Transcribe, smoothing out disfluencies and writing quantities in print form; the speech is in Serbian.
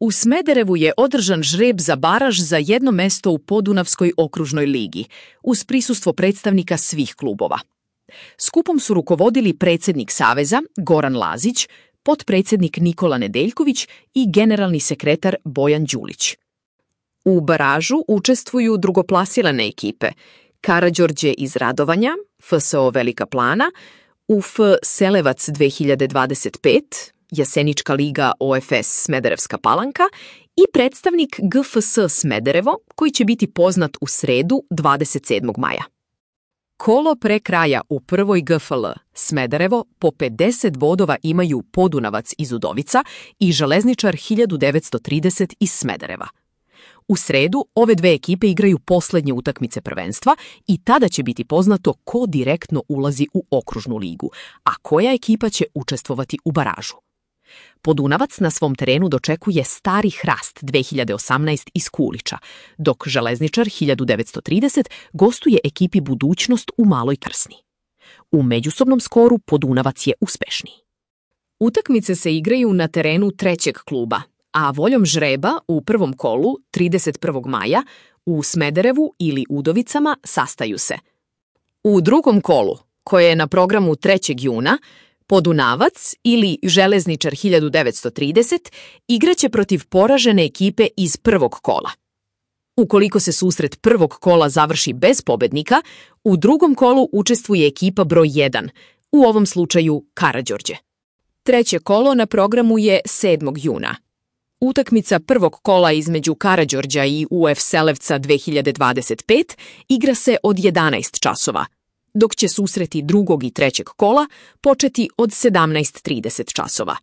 U Smederevu je održan žreb za baraž za jedno mesto u Podunavskoj okružnoj ligi, uz prisustvo predstavnika svih klubova. Skupom su rukovodili predsjednik Saveza, Goran Lazić, potpredsjednik Nikola Nedeljković i generalni sekretar Bojan Đulić. U baražu učestvuju drugoplasirane ekipe Karađorđe iz Radovanja, FSO Velika Plana, UF Selevac 2025, Jasenička liga OFS Smederevska Palanka i predstavnik GFS Smederevo, koji će biti poznat u sredu 27. maja. Kolo pre kraja u prvoj GFL Smederevo po 50 bodova imaju Podunavac iz Udovica i Železničar 1930 iz Smedereva. U sredu ove dve ekipe igraju poslednje utakmice prvenstva i tada će biti poznato ko direktno ulazi u okružnu ligu, a koja ekipa će učestvovati u baražu. Podunavac na svom terenu dočekuje Stari Hrast 2018 iz Kulića, dok Železničar 1930 gostuje ekipi Budućnost u Maloj Krsni. U međusobnom skoru Podunavac je uspešniji. Utakmice se igraju na terenu trećeg kluba, a voljom žreba u prvom kolu 31. maja u Smederevu ili Udovicama sastaju se. U drugom kolu, koje je na programu 3. juna, Podunavac ili Železničar 1930 igraće protiv poražene ekipe iz prvog kola. Ukoliko se susret prvog kola završi bez pobednika, u drugom kolu učestvuje ekipa broj 1, u ovom slučaju Karađorđe. Treće kolo na programu je 7. juna. Utakmica prvog kola između Karađorđa i UF Selevca 2025 igra se od 11 časova, dok će susreti drugog i trećeg kola početi od 17:30 časova.